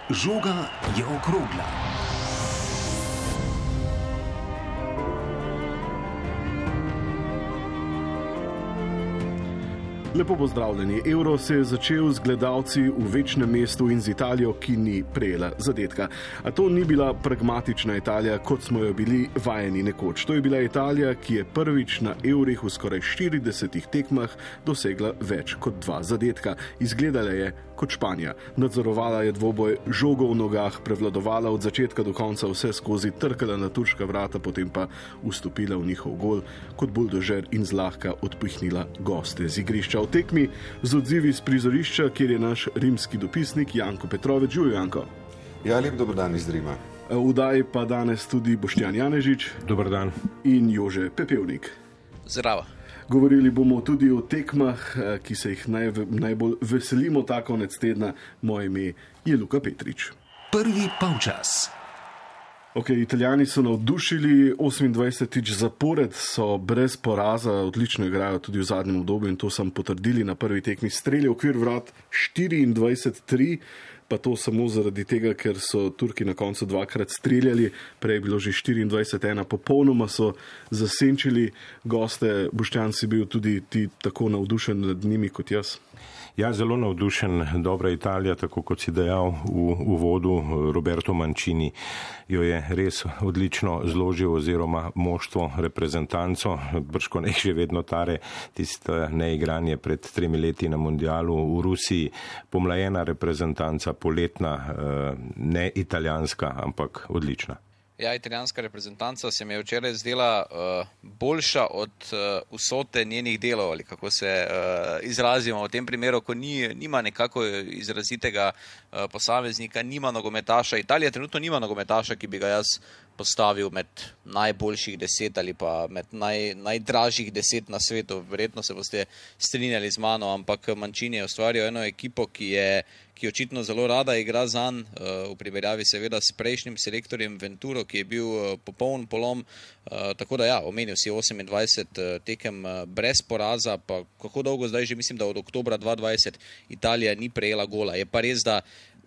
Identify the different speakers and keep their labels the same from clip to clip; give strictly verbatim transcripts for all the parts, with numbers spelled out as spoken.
Speaker 1: Žoga je okrogla.
Speaker 2: Lepo pozdravljeni. Euro se je začel z gledalci v večnem mestu in z Italijo, ki ni prejela zadetka. A to ni bila pragmatična Italija, kot smo jo bili vajeni nekoč. To je bila Italija, ki je prvič na evrih v skoraj štiridesetih tekmah dosegla več kot dva zadetka. Izgledala je kot Španija. Nadzorovala je dvoboj, žogo v nogah, prevladovala od začetka do konca vse skozi, trkala na turška vrata, potem pa vstopila v njihov gol kot buldožer in zlahka odpihnila goste z igrišča. V tekmi z odzivi z prizorišča, kjer je naš rimski dopisnik Janko Petrovič. Živijo, Janko.
Speaker 3: Ja, lep dober dan iz Rima.
Speaker 2: V oddaji pa danes tudi Boštjan Janežič.
Speaker 4: Dober dan.
Speaker 2: In Jože Pepevnik.
Speaker 5: Zdravo.
Speaker 2: Govorili bomo tudi o tekmah, ki se jih naj, najbolj veselimo ta konec tedna. Moje ime je Luka Petrič.
Speaker 1: Prvi polčas.
Speaker 2: Ok, Italijani so navdušili, osemindvajsetič zapored so brez poraza, odlično igrajo tudi v zadnjem obdobju in to sem potrdili na prvi tekmi. Strelje v okvir vrat štiriindvajset tri, pa to samo zaradi tega, ker so Turki na koncu dvakrat streljali, prej je bilo že štiriindvajset ena, popolnoma so zasenčili goste. Boštjan, si bil tudi ti tako navdušen nad njimi kot jaz?
Speaker 4: Ja, zelo navdušen. Dobra Italija, tako kot si dejal v uvodu, Roberto Mancini jo je res odlično zložil oziroma moštvo, reprezentanco, brško ne še vedno tare, tisto neigranje pred tremi leti na mundialu v Rusiji, pomlajena reprezentanca, poletna, ne italijanska, ampak odlična.
Speaker 5: Ja, italijanska reprezentanca se mi je včeraj zdela uh, boljša od uh, vsote njenih delov, ali kako se uh, izrazimo v tem primeru, ko ni, nima nekako izrazitega uh, posameznika, nima nogometaša. Italija trenutno nima nogometaša, ki bi ga jaz postavil med najboljših deset ali pa med naj, najdražjih deset na svetu. Verjetno se boste strinjali z mano, ampak Mancini je ustvaril eno ekipo, ki je ki očitno zelo rada igra zanj, v primerjavi seveda s prejšnjim selektorjem Venturo, ki je bil popoln polom. Tako da ja, omenil si osemindvajset tekem brez poraza, pa kako dolgo zdaj že, mislim, da od oktobra dva tisoč dvajset Italija ni prejela gola. Je pa res, da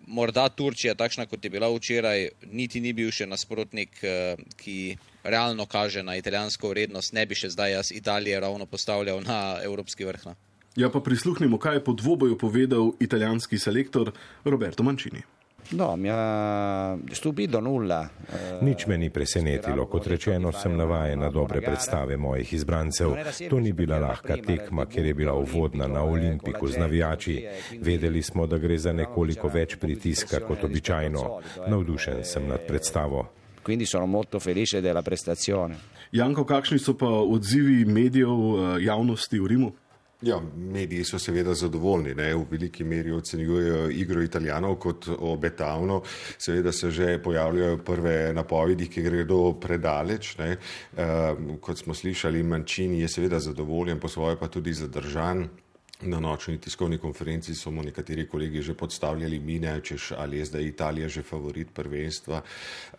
Speaker 5: morda Turčija, takšna kot je bila včeraj, niti ni bil še nasprotnik, ki realno kaže na italijansko vrednost. Ne bi še zdaj jaz Italije ravno postavljal na evropski vrh.
Speaker 2: Ja, pa prisluhnimo, kaj je po dvoboju povedal italijanski selektor Roberto Mancini.
Speaker 6: No, mi ha stupito nulla.
Speaker 4: Nič me ni presenetilo, kot rečeno, sem navajen na dobre predstave mojih izbrancev. To ni bila lahka tekma, ker je bila uvodna na Olimpiku z navijači. Vedeli smo, da gre za nekoliko več pritiska kot običajno. Navdušen sem nad predstavo.
Speaker 6: Quindi sono molto felice della prestazione.
Speaker 2: Janko, kakšni so pa odzivi medijev, javnosti v Rimu?
Speaker 3: Ja, mediji so seveda zadovoljni, ne? V veliki meri ocenjujejo igro Italijanov kot obetavno. Seveda se že pojavljajo prve napovedi, ki gredo predaleč. Ne? E, kot smo slišali, Mancini je seveda zadovoljen, po svoje pa tudi zadržan. Na nočni tiskovni konferenci so mu nekateri kolegi že podstavljali mine, češ ali je zdaj Italija že favorit prvenstva.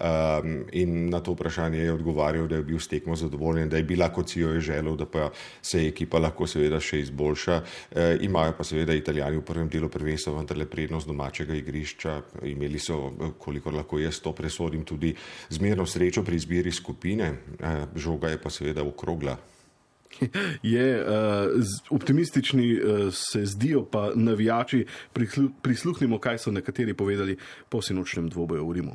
Speaker 3: Um, in na to vprašanje je odgovarjal, da je bil s tekmo zadovoljen, da je bila, kot si jo je želel, da pa se ekipa lahko seveda še izboljša. E, imajo pa seveda Italijani v prvem delu prvenstva vendarle prednost domačega igrišča. Imeli so, kolikor lahko jaz to presodim, tudi zmerno srečo pri izbiri skupine. E, žoga je pa seveda okrogla.
Speaker 2: Je, uh, optimistični uh, se zdijo pa navijači. Prisluhnimo, kaj so nekateri povedali po sinočnem dvoboju v Rimu.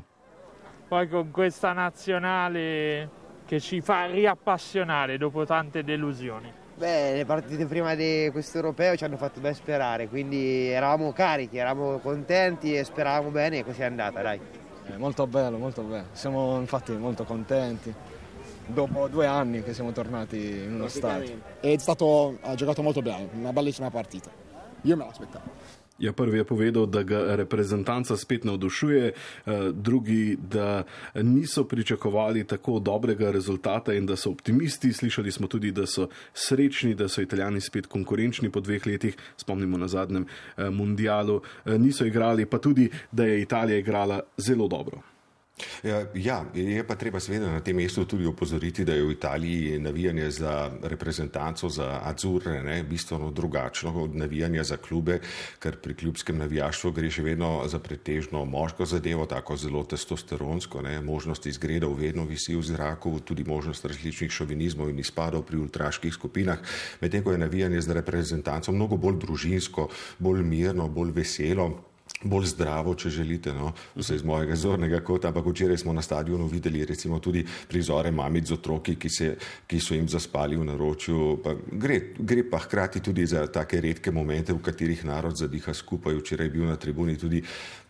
Speaker 7: Poi con questa nazionale che ci fa riappassionare dopo tante delusioni.
Speaker 8: Beh, le partite prima di questo europeo ci hanno fatto ben sperare, quindi eravamo carichi, eravamo contenti e speravamo bene e così è andata, dai.
Speaker 9: Eh, molto bello, molto bello. Siamo infatti molto contenti. Dopo due anni che siamo tornati in uno stadio.
Speaker 10: È stato, ha giocato molto bene, una bellissima partita. Io me l'aspettavo.
Speaker 2: Ja, prvi je povedal, da ga reprezentanca spet navdušuje, drugi, da niso pričakovali tako dobrega rezultata in da so optimisti. Slišali smo tudi, da so srečni, da so Italijani spet konkurenčni po dveh letih, spomnimo na zadnjem mundialu. Niso igrali, pa tudi, da je Italija igrala zelo dobro.
Speaker 3: Ja, ja, je pa treba seveda na tem mestu tudi opozoriti, da je v Italiji navijanje za reprezentanco, za Azzurre, ne, bistveno drugačno od navijanja za klube, ker pri klubskem navijaštvu gre še vedno za pretežno moško zadevo, tako zelo testosteronsko, ne, možnost izgredov vedno visi v zraku, tudi možnost različnih šovinizmov in izpadov pri ultraških skupinah, medtem ko je navijanje za reprezentanco mnogo bolj družinsko, bolj mirno, bolj veselo, bolj zdravo, če želite, no, vse iz mojega zornega kota, ampak včeraj smo na stadionu videli recimo tudi prizore mamic z otroki, ki, se, ki so jim zaspali v naročju. Pa gre, gre pa hkrati tudi za take redke momente, v katerih narod zadiha skupaj. Včeraj je bil na tribuni tudi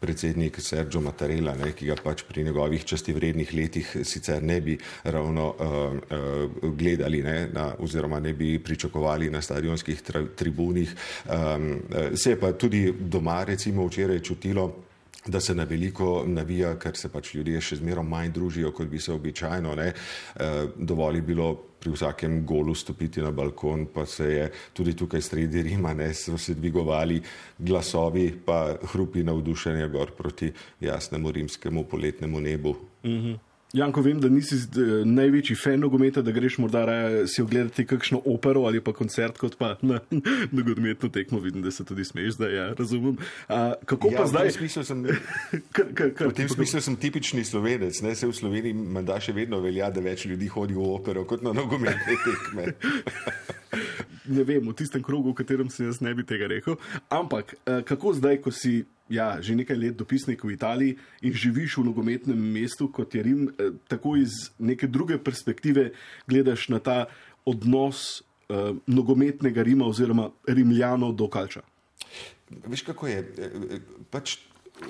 Speaker 3: predsednik Sergio Mattarella, ne, ki ga pač pri njegovih častivrednih letih sicer ne bi ravno uh, uh, gledali, ne, na, oziroma ne bi pričakovali na stadionskih tra, tribunih. Um, uh, se je pa tudi doma recimo včeraj čutilo, da se na veliko navija, ker se pač ljudje še zmerom manj družijo, kot bi se običajno, ne. Dovolj je bilo pri vsakem golu stopiti na balkon, pa se je tudi tukaj sredi Rima, ne, so se dvigovali glasovi, pa hrupi navdušenja gor proti jasnemu rimskemu poletnemu nebu.
Speaker 2: Mhm. Janko, vem, da nisi največji fan nogometa, da greš morda raje si ogledati kakšno opero ali pa koncert, kot pa na nogometno tekmo. Vidim, da se tudi smeješ, da ja, razumem. A, kako
Speaker 3: ja,
Speaker 2: pa zdaj?
Speaker 3: V tem smislu sem, kar, kar, kar, v tem smislu sem tipični Slovenec, ne, se v Sloveniji menda še vedno velja, da več ljudi hodi v opero kot na nogometne tekme.
Speaker 2: Ne vem, v tistem krogu, v katerem se jaz ne bi tega rekel, ampak kako zdaj, ko si ja, že nekaj let dopisnik v Italiji in živiš v nogometnem mestu, kot je Rim, tako iz neke druge perspektive gledaš na ta odnos uh, nogometnega Rima oziroma Rimljanov do Calcia?
Speaker 3: Veš, kako je? Pač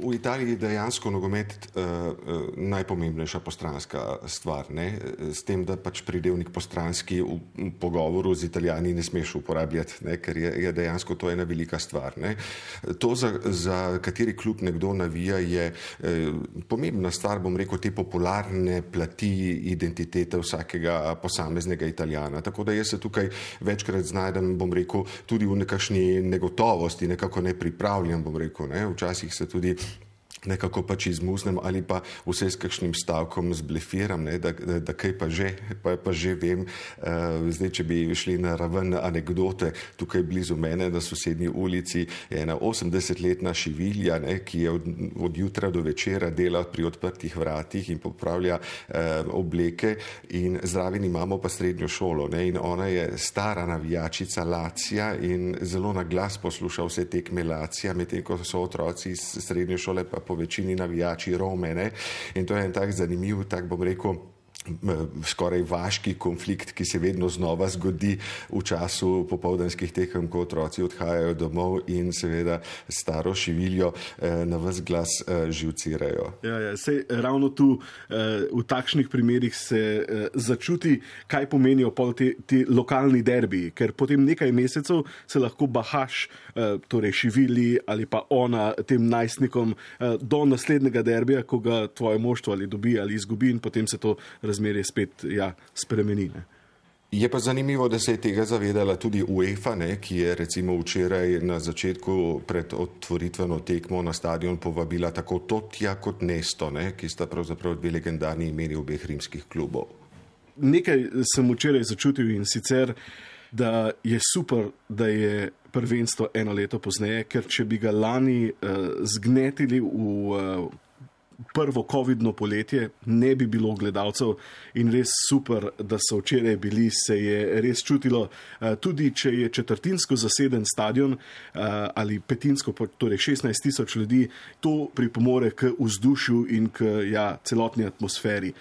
Speaker 3: v Italiji je dejansko nogomet uh, uh, najpomembnejša postranska stvar, ne? S tem, da pač pridevnik postranski v, v pogovoru z Italijani ne smeš uporabljati, ne? Ker je, je dejansko to ena velika stvar. Ne? To, za, za kateri klub nekdo navija, je eh, pomembna stvar, bom rekel, te popularne plati identitete vsakega posameznega Italijana. Tako da jaz se tukaj večkrat znajdem, bom rekel, tudi v nekakšni negotovosti, nekako nepripravljen, bom rekel, ne? Včasih se tudi nekako pač izmuznem ali pa vse s kakšnim stavkom zblefiram, ne, da, da, da kaj pa že, pa, pa že vem. Uh, zdaj, če bi šli na raven anekdote, tukaj blizu mene na sosednji ulici je ena osemdesetletna šivilja, ne, ki je od, od jutra do večera dela pri odprtih vratih in popravlja uh, obleke in zraven imamo pa srednjo šolo, ne, in ona je stara navijačica Lacija in zelo na glas posluša vse tekme Lacija, medtem ko so otroci iz srednje šole pa po večini navijači Rome, ne? In to je en tak zanimiv, tak bom rekel, skoraj vaški konflikt, ki se vedno znova zgodi v času popoldanskih tekem, ko otroci odhajajo domov in seveda staro šiviljo eh, na ves glas eh, živcirajo.
Speaker 2: Ja, ja, sej ravno tu eh, v takšnih primerih se eh, začuti, kaj pomenijo pol ti, ti lokalni derbiji, ker potem nekaj mesecev se lahko bahaš, eh, torej šivili ali pa ona tem najstnikom eh, do naslednjega derbija, ko ga tvoje moštvo ali dobi ali izgubi in potem se to razmerje spet ja, spremeni. Ne?
Speaker 3: Je pa zanimivo, da se je tega zavedala tudi UEFA, ne, ki je recimo včeraj na začetku pred otvoritveno tekmo na stadion povabila tako Totija kot Nesto, ne, ki sta pravzaprav dve legendarni imeni obeh rimskih klubov.
Speaker 2: Nekaj sem včeraj začutil in sicer, da je super, da je prvenstvo eno leto pozneje, ker če bi ga lani uh, zgnetili v uh, prvo covidno poletje, ne bi bilo gledalcev in res super, da so včeraj bili, se je res čutilo, tudi če je četrtinsko zaseden stadion ali petinsko, torej šestnajst tisoč ljudi, to pripomore k vzdušju in k ja, celotni atmosferi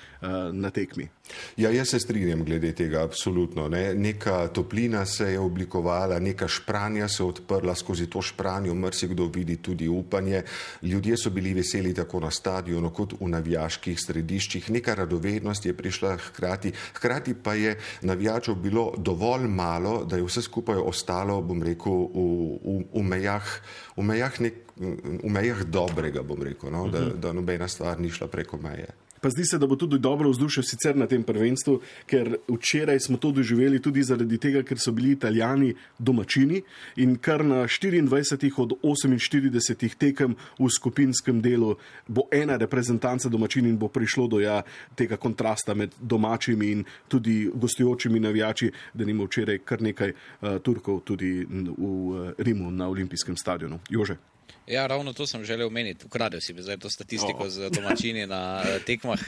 Speaker 2: na tekmi.
Speaker 3: Ja, jaz se strinjam glede tega, absolutno. Ne. Neka toplina se je oblikovala, neka špranja se odprla, skozi to špranjo marsikdo vidi tudi upanje. Ljudje so bili veseli tako na stadionu kot v navijaških središčih. Neka radovednost je prišla hkrati. Hkrati pa je navijačev bilo dovolj malo, da je vse skupaj ostalo, bom rekel, v, v, v mejah, v mejah, nek, v mejah dobrega, bom rekel, no, da, da nobena stvar ni šla preko meje.
Speaker 2: Pa zdi se, da bo tudi dobro vzdušje sicer na tem prvenstvu, ker včeraj smo to doživeli tudi zaradi tega, ker so bili Italijani domačini in kar na štiriindvajsetih od oseminštiridesetih tekem v skupinskem delu bo ena reprezentanca domačin in bo prišlo do ja tega kontrasta med domačimi in tudi gostujočimi navijači, da nima včeraj kar nekaj uh, Turkov tudi v uh, Rimu na olimpijskem stadionu. Jože?
Speaker 5: Ja, ravno to sem želel omeniti. Ukradel si mi zdaj to statistiko oh. z domačini na tekmah.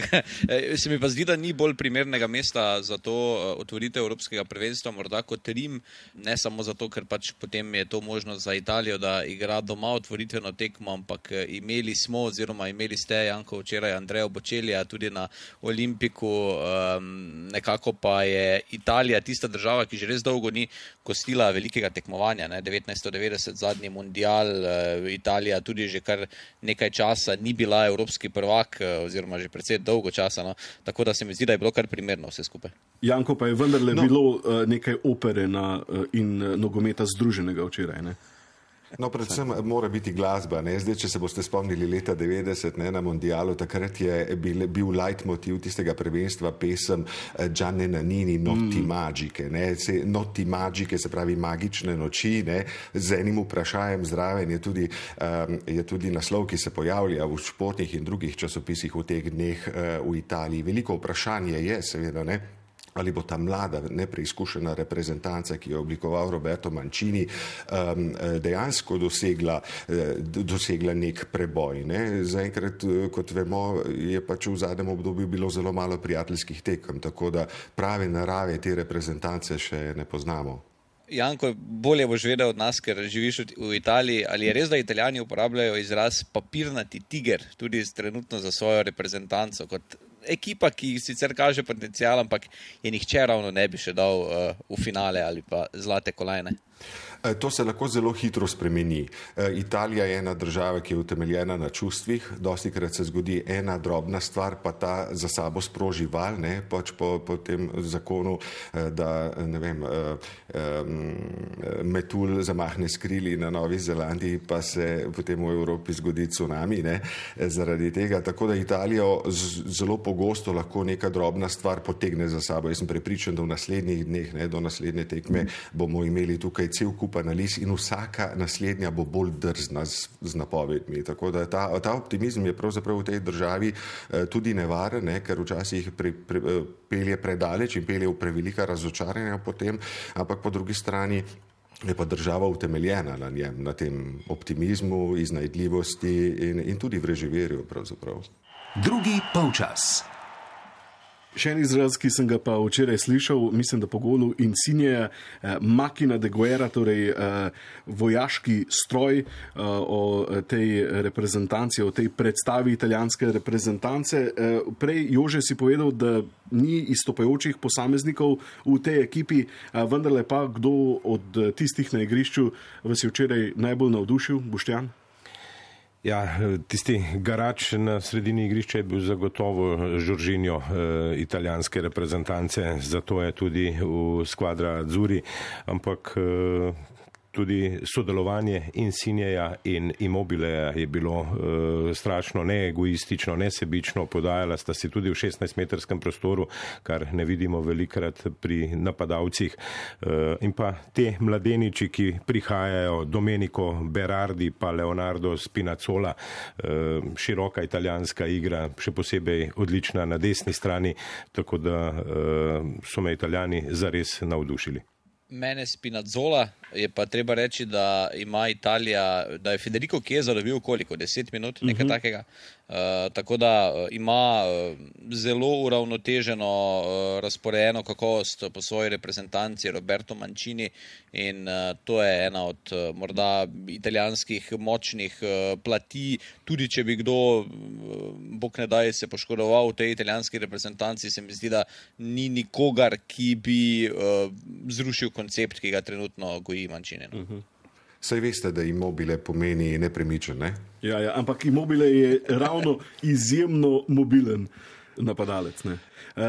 Speaker 5: Se mi pa zdi, da ni bolj primernega mesta za to otvoritev Evropskega prvenstva, morda kot Rim, ne samo zato, ker pač potem je to možnost za Italijo, da igra doma otvoritveno tekmo, ampak imeli smo oziroma imeli ste, Janko, včeraj Andreja Bočelija tudi na Olimpiku, um, nekako pa je Italija tista država, ki že res dolgo ni gostila velikega tekmovanja, ne? devetnajststo devetdeset zadnji mundial, uh, Italija tudi že kar nekaj časa ni bila evropski prvak, oziroma že precej dolgo časa, no? Tako da se mi zdi, da je bilo kar primerno vse skupaj.
Speaker 2: Janko, pa je vendarle no. bilo uh, nekaj opere na, uh, in uh, nogometa združenega včeraj, ne?
Speaker 3: No, predvsem mora biti glasba. Ne? Zdaj, če se boste spomnili leta devetdeset ne, na mondialu, takrat je bil, bil leitmotiv tistega prvenstva pesem Gianni Nannini Notti mm. Magiche. Ne? Se, Notti Magiche, se pravi magične noči, ne? Z enim vprašajem zraven je tudi, um, je tudi naslov, ki se pojavlja v športnih in drugih časopisih v teh dneh uh, v Italiji. Veliko vprašanje je, seveda, ne? Ali bo ta mlada, nepreizkušena reprezentanca, ki jo je oblikoval Roberto Mancini, dejansko dosegla, dosegla nek preboj. Ne? Zaenkrat, kot vemo, je pač v zadnjem obdobju bilo zelo malo prijateljskih tekem, tako da prave narave te reprezentance še ne poznamo.
Speaker 5: Janko, bolje boš vedel od nas, ker živiš v Italiji. Ali je res, da Italijani uporabljajo izraz papirnati tiger tudi trenutno za svojo reprezentanco kot ekipa, ki sicer kaže potencial, ampak je nihče ravno ne bi še dal uh, v finale ali pa zlate kolajne?
Speaker 3: To se lahko zelo hitro spremeni. Italija je ena država, ki je utemeljena na čustvih. Dostikrat se zgodi ena drobna stvar, pa ta za sabo sproži val, ne, pač po, po tem zakonu, da ne vem, metulj zamahne s krili na Novi Zelandiji, pa se potem v Evropi zgodi cunami, ne, zaradi tega. Tako da Italijo zelo pogosto lahko neka drobna stvar potegne za sabo. Jaz sem prepričan, da v naslednjih dneh, ne, do naslednje tekme bomo imeli tukaj cel kup analiz in vsaka naslednja bo bolj drzna z, z napovedmi. Tako da ta, ta optimizem je pravzaprav v tej državi eh, tudi nevaren, ne, ker včasih pre, pre, pelje predaleč in pelje v prevelika razočaranja potem, ampak po drugi strani je pa država utemeljena na njem, na tem optimizmu, iznajdljivosti in, in tudi vreživerju pravzaprav.
Speaker 1: Drugi polčas.
Speaker 2: Še en izraz, ki sem ga pa včeraj slišal, mislim, da po golu Insigneja, eh, Makina de Guerra, torej eh, vojaški stroj eh, o tej reprezentanci, o tej predstavi italijanske reprezentance. Eh, prej, Jože, si povedal, da ni izstopajočih posameznikov v tej ekipi, eh, vendarle pa kdo od tistih na igrišču vas je včeraj najbolj navdušil, Boštjan?
Speaker 4: Ja, tisti garač na sredini igrišča je bil zagotovo Jorginho eh, italijanske reprezentance, zato je tudi v skvadra Azzurri, ampak eh, tudi sodelovanje Insigneja in Immobileja je bilo uh, strašno neegoistično, nesebično, podajala sta si tudi v šestnajstmetrskem prostoru, kar ne vidimo velikrat pri napadalcih. Uh, in pa te mladeniči, ki prihajajo, Domenico Berardi pa Leonardo Spinazzola, uh, široka italijanska igra, še posebej odlična na desni strani, tako da uh, so me Italijani zares navdušili.
Speaker 5: Mene Spinazzola, je pa treba reči, da ima Italija, da je Federico Chiesa dobil koliko, deset minut, nekaj uh-huh. takega. Uh, tako da uh, ima uh, zelo uravnoteženo uh, razporejeno kakovost po svoji reprezentanci Roberto Mancini in uh, to je ena od uh, morda italijanskih močnih uh, plati. Tudi če bi kdo, uh, bog ne daj, se poškodoval v tej italijanski reprezentanci, se mi zdi, da ni nikogar, ki bi uh, zrušil koncept, ki ga trenutno goji Mancini. Uh-huh.
Speaker 3: Saj veste, da Immobile pomeni nepremičen, ne?
Speaker 2: Ja, ja, ampak Immobile je ravno izjemno mobilen napadalec, ne?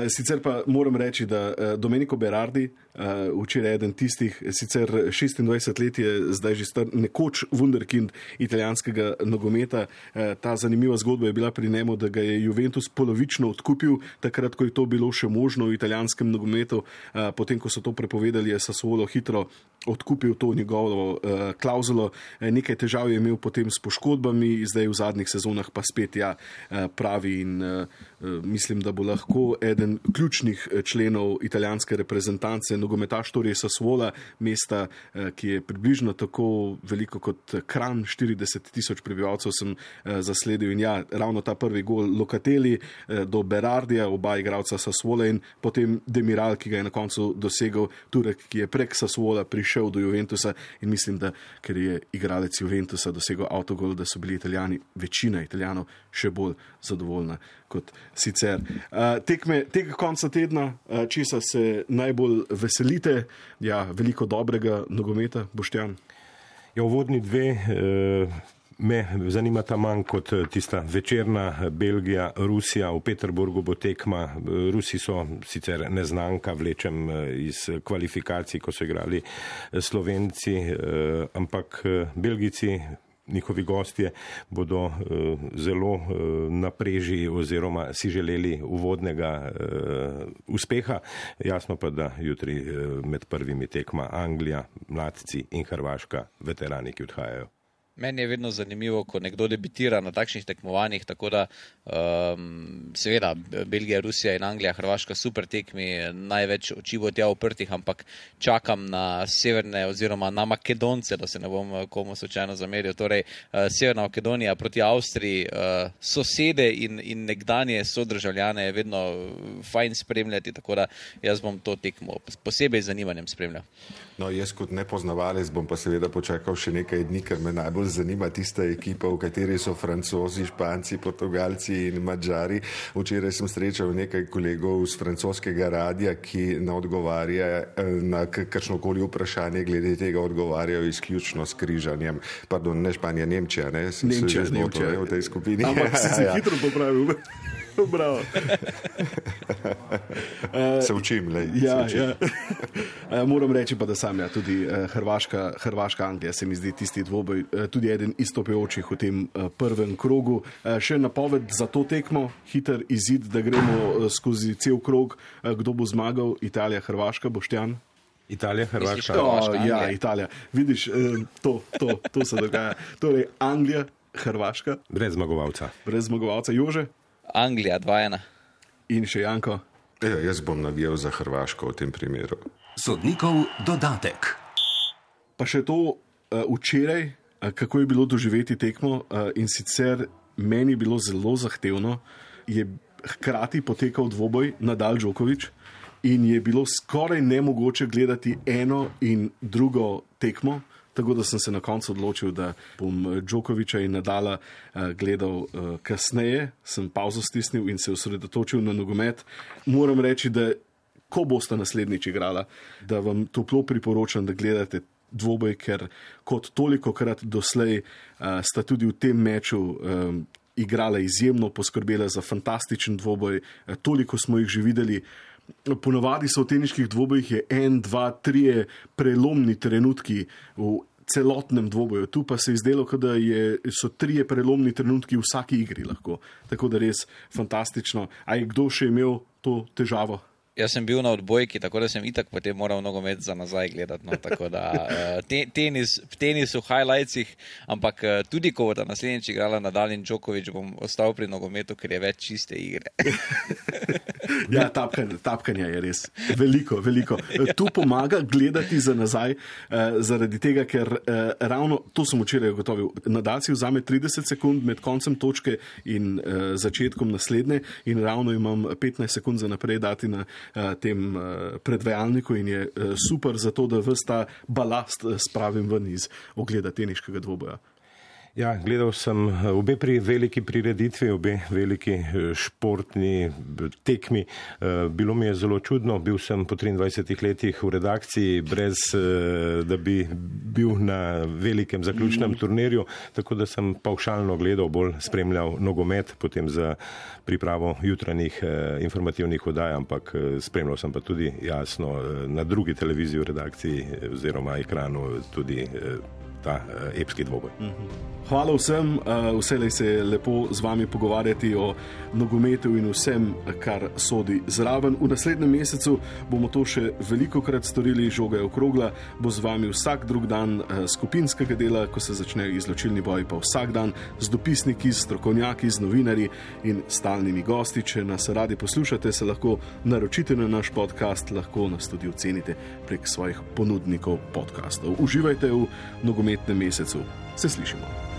Speaker 2: Sicer pa moram reči, da Domenico Berardi uh, včeraj eden tistih, sicer šestindvajset let je zdaj že star, nekoč wunderkind italijanskega nogometa. Uh, ta zanimiva zgodba je bila pri njemu, da ga je Juventus polovično odkupil, takrat, ko je to bilo še možno v italijanskem nogometu. Uh, potem, ko so to prepovedali, je Sassuolo hitro odkupil to njegovo uh, klauzulo. Uh, nekaj težav je imel potem s poškodbami, zdaj v zadnjih sezonah pa spet ja, uh, pravi in uh, mislim, da bo lahko eden ključnih členov italijanske reprezentance, nogometaš torej Sassuola, mesta, ki je približno tako veliko kot Kranj, štirideset tisoč prebivalcev sem zasledil in ja, ravno ta prvi gol Locatelli do Berardija, oba igralca Sassuola in potem Demiral, ki ga je na koncu dosegel Turek, ki je prek Sassuola prišel do Juventusa in mislim, da ker je igralec Juventusa dosegel avtogol, da so bili Italijani, večina Italijanov še bolj zadovoljna kot sicer. Uh, tekme tega konca tedna, uh, česa se najbolj veselite? Ja, veliko dobrega nogometa, Boštjan.
Speaker 4: Ja, uvodni dve uh, me zanimata manj kot tista večerna Belgija, Rusija. V Peterburgu bo tekma. Rusi so sicer neznanka, vlečem iz kvalifikacij, ko so igrali Slovenci, uh, ampak Belgijci, njihovi gostje bodo uh, zelo uh, na preži oziroma si želeli uvodnega uh, uspeha. Jasno pa, da jutri uh, med prvimi tekma Anglija, mladci in Hrvaška, veterani, ki odhajajo.
Speaker 5: Meni je vedno zanimivo, ko nekdo debitira na takšnih tekmovanjih, tako da um, seveda Belgija, Rusija in Anglija, Hrvaška super tekmi, največ oči bo tja uprtih, ampak čakam na severne oziroma na Makedonce, da se ne bom komu slučajno zameril. Torej, uh, Severna Makedonija proti Avstriji, uh, sosede in, in nekdanje sodržavljane je vedno fajn spremljati, tako da jaz bom to tekmo posebej z zanimanjem spremljal.
Speaker 3: No, jaz kot nepoznavalec bom pa seveda počakal še nekaj dni, ker me najbolj zanima tista ekipa, v kateri so Francozi, Španci, Portugalci in Madžari. Včeraj sem srečal nekaj kolegov z francoskega radia, ki na odgovarja na kakšnokoli vprašanje glede tega odgovarjajo izključno s križanjem. Pardon, ne Španija, Nemčija, ne? Sem
Speaker 2: Nemčija,
Speaker 3: se
Speaker 2: Nemčija.
Speaker 3: V tej skupini.
Speaker 2: Ampak si se
Speaker 3: ja, ja.
Speaker 2: hitro popravil. Bravo.
Speaker 3: Se učim, lej.
Speaker 2: Ja,
Speaker 3: se učim.
Speaker 2: ja. Moram reči pa, da sam ja, tudi Hrvaška, Hrvaška Anglija se mi zdi tisti dvoboj, tudi eden izstopajočih v tem prvem krogu. Še napoved za to tekmo, hiter izid, da gremo skozi cel krog, kdo bo zmagal, Italija, Hrvaška, Boštjan?
Speaker 4: Italija, Hrvaška.
Speaker 2: Oh, ja, Italija. Vidiš, to, to, to se dogaja. Torej, Anglija, Hrvaška.
Speaker 4: Brez zmagovalca.
Speaker 2: Brez zmagovalca. Jože?
Speaker 5: Anglija, dva ena.
Speaker 2: In še Janko?
Speaker 3: Ja, jaz bom navijal za Hrvaško v tem primeru.
Speaker 1: Sodnikov dodatek.
Speaker 2: Pa še to uh, včeraj, uh, kako je bilo doživeti tekmo uh, in sicer meni je bilo zelo zahtevno, je hkrati potekal dvoboj Nadal Djokovic in je bilo skoraj nemogoče gledati eno in drugo tekmo. Tako da sem se na koncu odločil, da bom Djokoviča in Nadala uh, gledal uh, kasneje, sem pauzo stisnil in se osredotočil na nogomet. Moram reči, da ko boste naslednjič igrala, da vam toplo priporočam, da gledate dvoboj, ker kot tolikokrat doslej uh, sta tudi v tem meču um, igrala izjemno, poskrbela za fantastičen dvoboj, uh, toliko smo jih že videli. Ponovadi so v teniških dvobojih je en, dva, trije prelomni trenutki v celotnem dvoboju. Tu pa se je zdelo, da je, so trije prelomni trenutki v vsaki igri lahko. Tako da res fantastično. A je kdo še imel to težavo?
Speaker 5: Jaz sem bil na odbojki, tako da sem itak potem moral nogomet za nazaj gledati. No, tako da te, tenis, tenis v highlightsih, ampak tudi ko bodo naslednjič igrala Nadal in Djokovic, bom ostal pri nogometu, ker je več čiste igre.
Speaker 2: Ja, tapkanje, tapkanje je res veliko, veliko. Tu pomaga gledati za nazaj, zaradi tega, ker ravno, to sem včeraj ugotovil, Nadal si vzame trideset sekund med koncem točke in začetkom naslednje in ravno imam petnajst sekund za naprej dati na tem predvajalniku in je super za to, da ves ta balast spravim ven iz ogleda teniškega dvoboja.
Speaker 4: Ja, gledal sem obe pri veliki prireditvi, obe veliki športni tekmi. Bilo mi je zelo čudno, bil sem po triindvajsetih letih v redakciji, brez da bi bil na velikem zaključnem turnirju, tako da sem pavšalno gledal, bolj spremljal nogomet, potem za pripravo jutranjih informativnih oddaj, ampak spremljal sem pa tudi jasno na drugi televiziji v redakciji oziroma ekranu tudi ta epski dvoboj.
Speaker 2: Hvala vsem, vselej se je lepo z vami pogovarjati o nogometu in vsem, kar sodi zraven. V naslednjem mesecu bomo to še velikokrat storili, žoga je okrogla, bo z vami vsak drug dan skupinskega dela, ko se začnejo izločilni boji, pa vsak dan z dopisniki, z strokovnjaki, z novinarji in stalnimi gosti. Če nas radi poslušate, se lahko naročite na naš podcast, lahko nas tudi ocenite prek svojih ponudnikov podcastov. Uživajte v nogometnem mesecu. Se slišimo.